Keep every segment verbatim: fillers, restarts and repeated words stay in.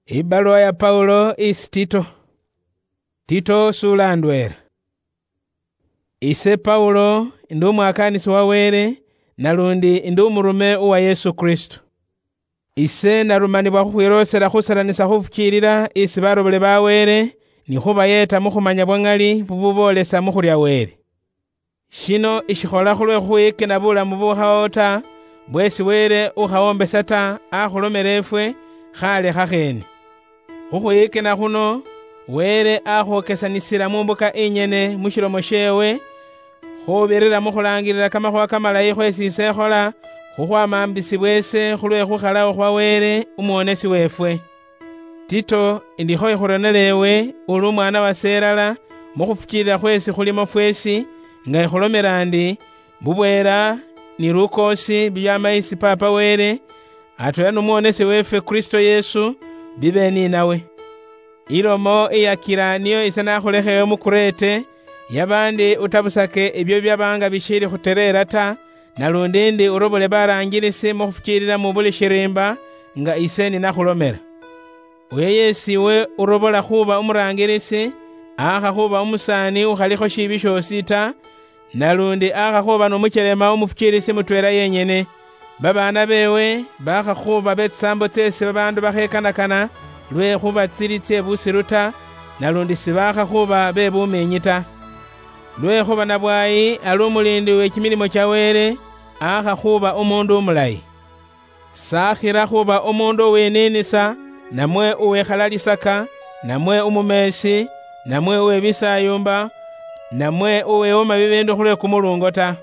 Ibaluwa ya Paulo isi Tito. Tito sula ndwela. Ise Paulo ndi umwakaanisi wa Wele, nalundi ndi umurume uwa Yesu Kristo. Ise narumanibwa khukhwiloosela khusalanisa khufukiilila isi barobole ba Wele, ni khubayeeta mu khumanya bwa ŋali bububoolesa mu khulya Wele. Shino ishikhola khulwe khukhwiyikina bulamu bukhawawo ta, bwesi Wele ukhawombesa ta, akhulomela efwe, khale khakheene. Khukhwiyikina khuno, Wele akhukesanisila mu mbuka inyene mu shilomo sheewe, khubirira mu khulangilila kamakhuwa kamalayi khwesi ise ekhola, khukhwamambisibwa ese khulwe khukhalawo khwa Wele, umuwonesi weefwe. Tito, indikho ikhuronela ewe, uli umwana wase elala, mu khufukiilila khwesi khulimo fwesi, nga ikhulomela ndi, bubweela ni lukoosi bibyama isi Paapa Wele, atweela n'Omuwonesi weefwe Kristo Yesu, bibe ni nawe. Ilomo iyakila niyo ise nakhulekheewo mu Kurete, yaba ndi utabusake ebyo bibyaba nga bishiili khutereera ta, nalundi ndi urobole baraangilisi mu khufukiilila mu buli shiriimba, nga ise ninakhulomela. Uyo yeesi iwe urobola khuuba umuraangilisi, aakha khuuba umusaani ukhalikho shiibi shoosi ta, nalundi aakha khuuba n'umuchelema umufukiilisi mutweela yenyene. Babaana beewe baakha khuuba be tsisaambo tseesi babaandu bakhekanakana, lwekhuba tsili tsye busilu ta, nalundi sibaakha khuuba be bumiinyi ta. Lwekhuba nabwaayi ali umuliindi we kimilimo kya Wele, aakha khuuba umuundu umulayi. Sakhira khuba omundu uwiniinisa, namwe uwikhalalisaka, namwe umumeesi, namwe uwe bisaayumba, namwe uwiwoma bibiindu khulwe kumulungo ta.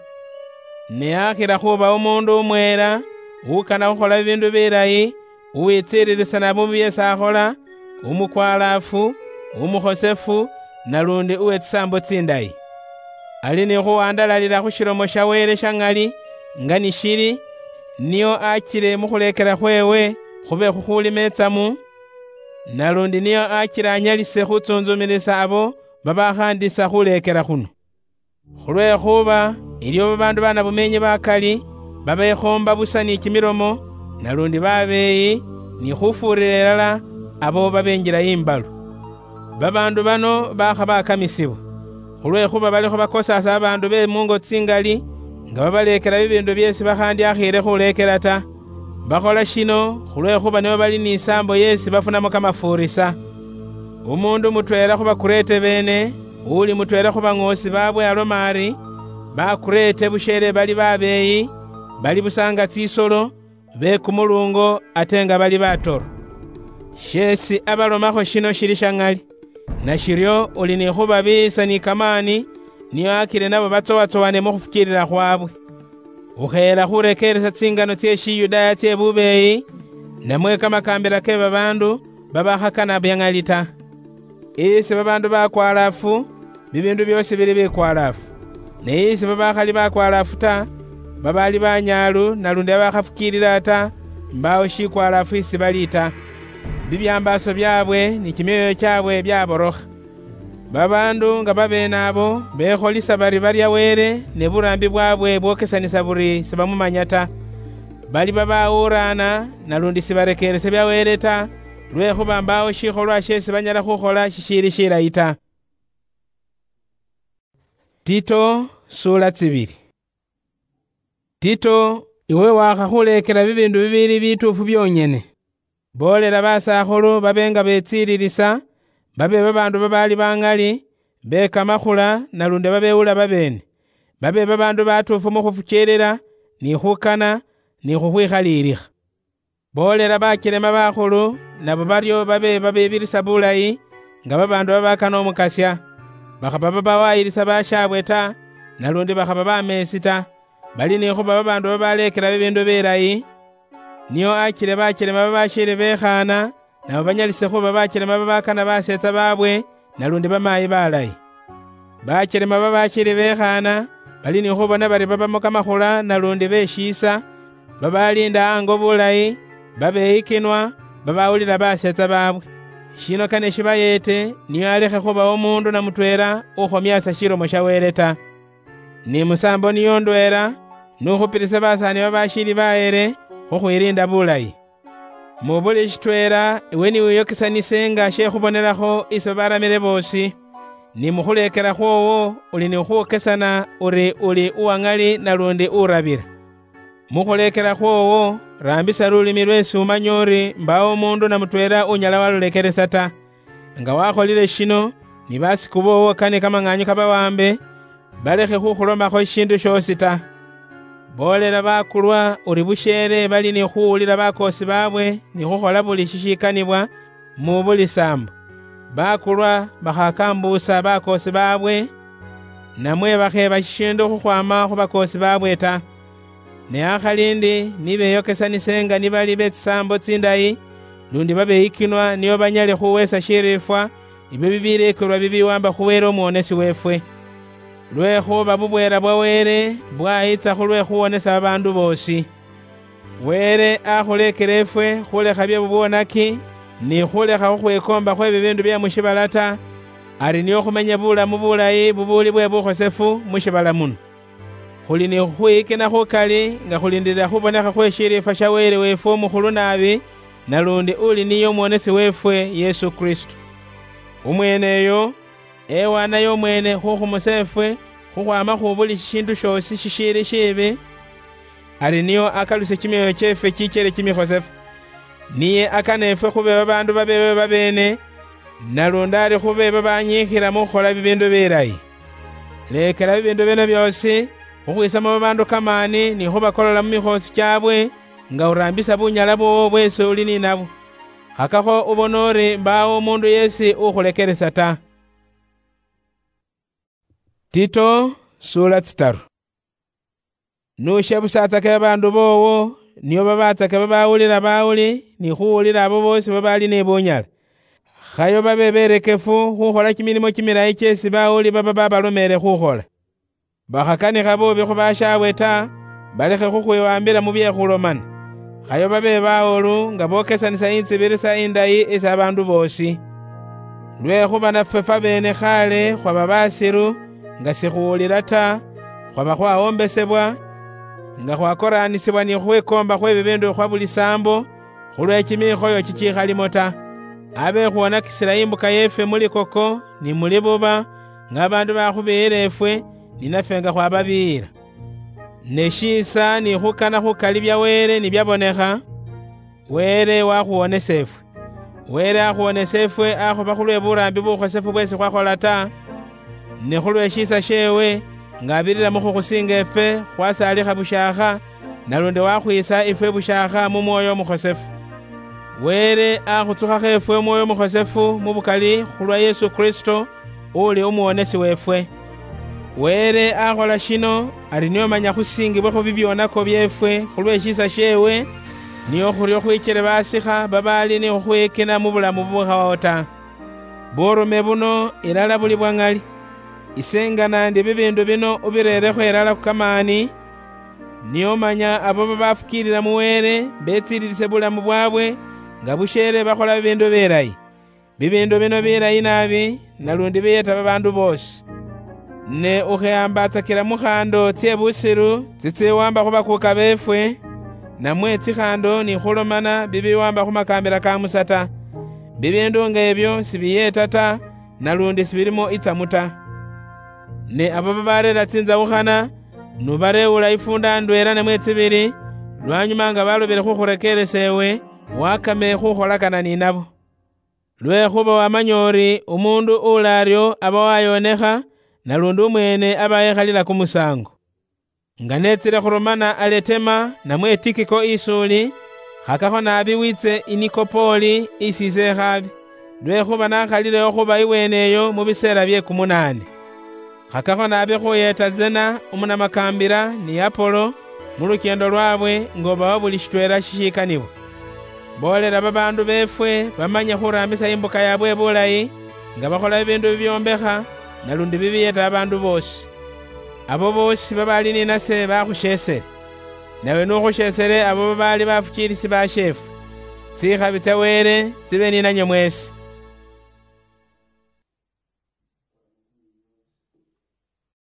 Ne akhira khuba omundu umweela, ukana khukhola bibiindu bilayi, uwitsiililisa naabi mu byeesi akhola, umukwalaafu, umukhosefu, nalundi uwe tsisaambo tsindayi. Ali ni khuwandalalila khu shilomo sha Wele sha ŋali, nga ni shili, nio achile mu khuleekela khweewe khube khukhuli metsamu, nalundi nio achile anyalise khutsuntsumilisa abo babakhandisa khuleekela khuno. Khulwekhuba iliwo babaandu banabumiinyi bakali, babekhoomba busa ni kimilomo, nalundi babeeyi, ni khufuurira ilala abo babenjila imbalu. Babaandu bano bakha bakamisibwa, khulwekhuba balikho bakosaasa babaandu be mungo tsingali, nga babaleekela bibiindu byeesi bakhandiakhiile khuleekela ta. Bakhola shino khulwekhuba nibo bali ni isaambo yeesi bafunamo kamafuurisa. Umuundu mutweela khu Bakurete beene, uuli mutweela khu baŋoosi baabwe aloma ari, Bakurete busheele bali babeeyi, bali busa nga tsisolo, be kumulungo ate nga bali batoro. Sheesi abalomakho shino shili sha ŋali. Nashiryo uli ni khubabiiyisa ni kamaani, nio akile nabo batsowatsowane mu khufukiilila khwaabwe. Ukheela khurekeeresa tsingano tsye Shiyudaaya tsye bubeeyi, namwe kamakaambila ke babaandu babakhakana bya ŋali ta. Isi babaandu bakwalaafu, bibiindu byoosi bili bikwalaafu. Ne isi babakhali bakwalaafu ta, babaali banyaalu nalundi babakhafukiilila ta, mbaawo shikwalaafu isi bali ta. Bibyambaaso byaabwe ni kimyoyo kyaabwe byaborokha. Babaandu nga babeene abo bekholisa bari barya Wele, ne buraambi bwaabwe bwokesanisa buri sibamumanya ta. Bali babawuuraana, nalundi sibarekeerese bya Wele ta, lwekhuba mbaawo shikholwa sheesi banyala khukhola shishiili shilayi ta. Tito, sula tsibili. Tito, iwe wakhakhuleekela bibiindu bibiili bituufu byonyene. Boolela basakhulu babe nga betsiililisa, babe babaandu babaali baŋali, be kamakhula, nalundi babewula babeene, babe babaandu batuufu mu khufukiilila, ni khukana, ni khukhwikhaliilikha. Boolela bachelema bakhulu, nabo baryo babe babibirisa bulayi, nga babaandu babakana Omukasya. Bakhaba babawayilisa bashaabwe ta, nalundi bakhaba bameesi ta. Bali ni khuba babaandu babaleekela bibiindu bilayi, nio achile bachelema babashiili bekhaana, nabo banyalise khuba bachelema babakana baseetsa baabwe, nalundi bamaayi balayi. Bachelema babashiili bekhaana, bali ni khubona bari babamo kamakhula nalundi beshiisa, babaliinda ango bulayi, babeyikinwa, babawulila baseetsa baabwe. Shino kane shibayeete, nio alekhe khubawo omuundu na mutweela ukhomiasa shilomo sha Wele ta. Ni musaambo niyo ndweela, nukhupilise basaani babashiili baheele khukhwiliinda bulayi. Mu buli shitweela iwe niwiyokesanise nga she khubonelakho isi babaramile boosi, ni mu khuleekela khwoowo uli ni khukhwokesana uri uli uwaŋali nalundi urabila. Mu khuleekela khwoowo, raambisa lulimi lweesi umanya uri mbaawo umuundu na mutweela unyala walulekelesa ta. Nga wakholile shino, ni basiku boowo kane kamaŋaanyu kabawaambe, balekhe khukhulomakho shishiindu shoosi ta. Boolela bakulwa uri busheele bali ni khuwulila bakoosi baabwe ni khukhola buli shishikanibwa mu buli saambo. Bakulwa bakhakambuusa bakoosi baabwe, namwe bakheeba shishiindu khukhwaama khu bakoosi baabwe ta. Ne akhali ndi nibeyokesanise nga nibali be tsisaambo tsindayi, lundi babeyikinwa nio banyale khuweesa shiriifwa, ibyo bibileekelwa bibiwaamba khu Wele Umwonesi weefwe. Lwekhuba bubweela bwa Wele bwayitsa khulwe khuwonesa babaandu boosi. Wele akhuleekela efwe khulekha bye bubwonaki, ni khulekha khukhwikoomba khwe bibiindu bye mu shiibala ta, ari nio khumenye bulamu bulayi bubuuli bwe bukhosefu mu shiibala muno. Khuli ni khukhwiyikina khukali nga khulindirira khubonekha khwe shiriifwa sha Wele weefwe umukhulu naabi, nalundi uli niye Umwonesi weefwe Yesu Kristo. Umweeneyo ewanayo umweene khukhumusa efwe khukhwaama khu buli shishiindu shoosi shishiili shiibi, ari nio akalusie kimyoyo kyeefwe kikyele kimikhosefu. Niye akana efwe khube babaandu babeewe babeene, nalundi ari khube babanyiikhila mu khukhola bibiindu bilayi. Leekela bibiindu bino byoosi khukhwiisamo babaandu kamaani ni khubakolola mu mikhoosi kyaabwe, nga uraambisa bunyala bwoowo bweesi uli ni nabwo. Khakakho ubone uri mbaawo umuundu yeesi ukhulekelesa ta. Tito, suula tsitaru. Nushebusaatsake babaandu boowo, nio babaatsake babawulila bawuli, ni khuwulila abo boosi babaali ni bunyala. Khayo babe berekefu khukhola kimilimo kimilayi kyesi bawuli baba babalomeele khukhola. Bakhakanikha buubi khu bashaabwe ta, balekhe khukhwiwambila mu bye khulomana. Khayo babe bawulu nga bokesanisa intsibirisa indayi isi abaandu boosi. Lwekhuba nafwe fwabeene khaale khwaba basiru, nga sikhuwulila ta, khwaba khwawombesebwa, nga khwakoranisibwa ni khukhwikoomba khwe bibiindu khwa buli saambo, khulwe kimikhoyo kikiikhalimo ta. Abe khuwonakisila imbuka yeefwe mu likoko ni mu libuba, nga babaandu bakhubiyila efwe, ni nafwe nga khwababiyila. Ne shiisa ni khukana khukali bya Wele ni byabonekha, Wele wakhuwonesa efwe. Wele akhuwonesa efwe akhuba khulwe buraambi bukhosefu bwesi khwakhola ta, ne khulwe shiisa sheewe, nga abirira mu khukhusinga efwe, khwasaalikha bushaakha, nalundi wakhwiisa ifwe bushaakha mu Mwoyo Umukhosefu. Wele akhutsukhakho efwe Omwoyo Umukhosefu mu bukali khulwa Yesu Kristo, uli Umuwonesi weefwe. Wele akhola shino ari nio manya khusingibwekho bibyonako byeefwe khulwe shiisa sheewe, nio khurio khwichele basikha babaali ni khukhwiyikina mu bulamu bubukhawawo ta. Burume buno ilala buli bwa ŋali. Ise nga naandi bibiindu bino ubireerekho ilala khu kamaani, nio manya abo babafukiilila mu Wele betsiililise bulamu bwaabwe nga busheele bakhola bibiindu bilayi. Bibiindu bino bilayi naabi, nalundi biyeta babaandu boosi. Ne ukhehambatsakila mu khaando tsye busilu tsitsiwamba khu bakuuka beefwe, namwe tsikhaando ni khulomana bibiwamba khu makaambila ka Musa ta. Bibiindu nga ebyo sibiyeeta ta, nalundi sibilimo itsamu ta. Ne abo babareera tsinzawukhana, nubareewula ifuunda ndweela namwe tsibili, lwanyuma nga balobile khukhurekeeresa ewe, wakame khukholakana ni nabo. Lwekhuba wamanya uri umuundu ulaaryo aba wayoonekha, nalundi umweene aba yekhalila kumusaango. Nga netsile khurumana Aletema namwe Tikiko isi uli, khakakho naabi wiitse i Nikopoli isi ise ekhaabi, lwekhuba nakhalileyo khuba iweneyo mu biseela bye kumunaane. Khakakho naabi khuyeeta Zena umunamakaambila ni Apolo mu lukyeendo lwaabwe nga obawa buli shitweela shishikanibwa. Boolela babaandu beefwe bamanye khuraambisa imbuka yaabwe bulayi, nga bakhola bibiindu bibyombekha, nalundi bibiyeta babaandu boosi. Abo boosi babaali ni nase bakhusheesele. Nawe nukhusheesele abo babaali bafukiilisi basheefwe. Tsikhabi tsya Wele tsibe ni nanywe mweesi.